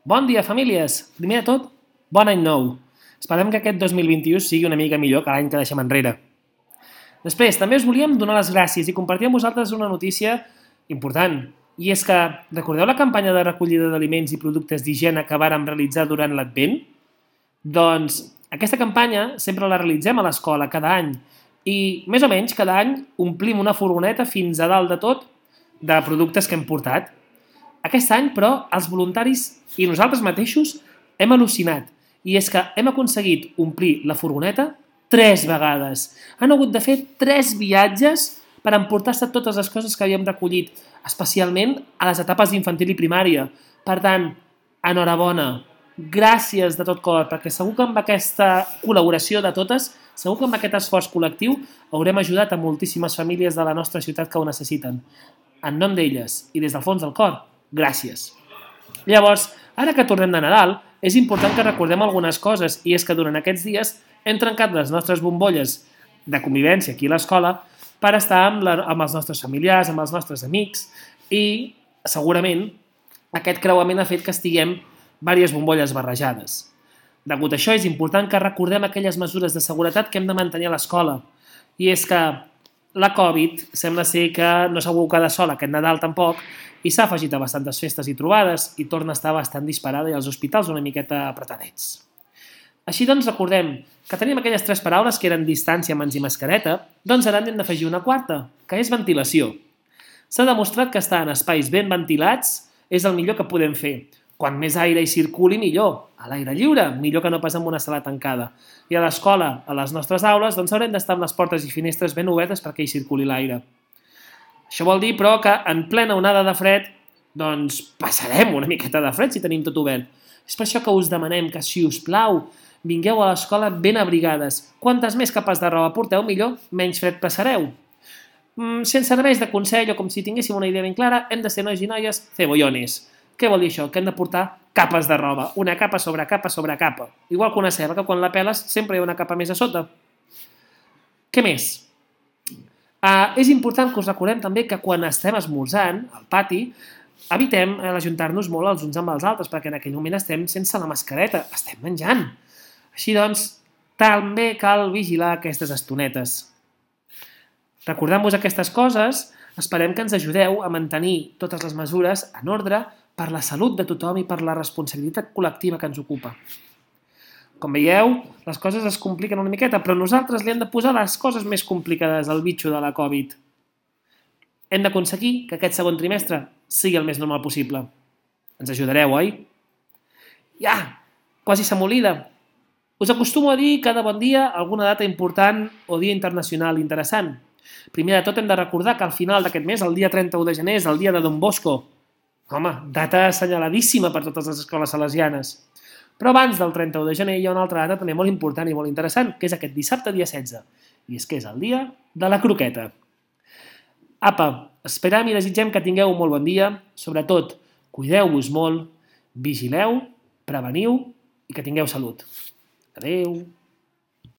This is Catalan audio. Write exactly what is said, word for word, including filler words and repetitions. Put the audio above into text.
Bon dia, famílies! Primer de tot, bon any nou. Esperem que aquest dos mil vint-i-u sigui una mica millor que l'any que deixem enrere. Després, també us volíem donar les gràcies i compartir amb vosaltres una notícia important. I és que, recordeu la campanya de recollida d'aliments i productes d'higiene que vàrem realitzar durant l'Advent? Doncs aquesta campanya sempre la realitzem a l'escola cada any i, més o menys, cada any omplim una furgoneta fins a dalt de tot de productes que hem portat. Aquest any, però, els voluntaris i nosaltres mateixos hem al·lucinat i és que hem aconseguit omplir la furgoneta tres vegades. Han hagut de fer tres viatges per emportar-se totes les coses que havíem recollit, especialment a les etapes d'infantil i primària. Per tant, enhorabona, gràcies de tot cor, perquè segur que amb aquesta col·laboració de totes, segur que amb aquest esforç col·lectiu haurem ajudat a moltíssimes famílies de la nostra ciutat que ho necessiten. En nom d'elles i des del fons del cor, gràcies. Llavors, ara que tornem de Nadal, és important que recordem algunes coses i és que durant aquests dies hem trencat les nostres bombolles de convivència aquí a l'escola per estar amb, la, amb els nostres familiars, amb els nostres amics i segurament aquest creuament ha fet que estiguem diverses bombolles barrejades. Degut a això és important que recordem aquelles mesures de seguretat que hem de mantenir a l'escola i és que la Covid sembla ser que no s'ha quedat sola aquest Nadal tampoc i s'ha afegit a bastantes festes i trobades i torna a estar bastant disparada i els hospitals una miqueta apretadets. Així doncs recordem que tenim aquelles tres paraules que eren distància, mans i mascareta, doncs ara n'hem d'afegir una quarta, que és ventilació. S'ha demostrat que estar en espais ben ventilats és el millor que podem fer. Quan més aire hi circuli, millor. A l'aire lliure, millor que no pas en una sala tancada. I a l'escola, a les nostres aules, doncs haurem d'estar amb les portes i finestres ben obertes perquè hi circuli l'aire. Això vol dir, però, que en plena onada de fred, doncs passarem una miqueta de fred si tenim tot obert. És per això que us demanem que, si us plau, vingueu a l'escola ben abrigades. Quantes més capes de roba porteu, millor, menys fred passareu. Mm, sense serveis de consell o com si tinguéssim una idea ben clara, hem de ser nois i noies cebollones. Què vol dir això? Que hem de portar capes de roba, una capa sobre capa sobre capa. Igual que una ceba, que quan la peles sempre hi ha una capa més a sota. Què més? Uh, és important que us recordem també que quan estem esmorzant al pati evitem ajuntar-nos molt els uns amb els altres perquè en aquell moment estem sense la mascareta, estem menjant. Així doncs, també cal vigilar aquestes estonetes. Recordant-vos aquestes coses, esperem que ens ajudeu a mantenir totes les mesures en ordre per la salut de tothom i per la responsabilitat col·lectiva que ens ocupa. Com veieu, les coses es compliquen una miqueta, però nosaltres li hem de posar les coses més complicades al bitxo de la Covid. Hem d'aconseguir que aquest segon trimestre sigui el més normal possible. Ens ajudareu, oi? Ja, quasi se m'oblida. Us acostumo a dir cada bon dia alguna data important o dia internacional interessant. Primer de tot hem de recordar que al final d'aquest mes, el dia trenta-u de gener, és el dia de Don Bosco. Home, data assenyaladíssima per totes les escoles salesianes. Però abans del trenta-u de gener hi ha una altra data també molt important i molt interessant, que és aquest dissabte, dia setze. I és que és el dia de la croqueta. Apa, esperam i desitgem que tingueu un molt bon dia. Sobretot, cuideu-vos molt, vigileu, preveniu i que tingueu salut. Adeu.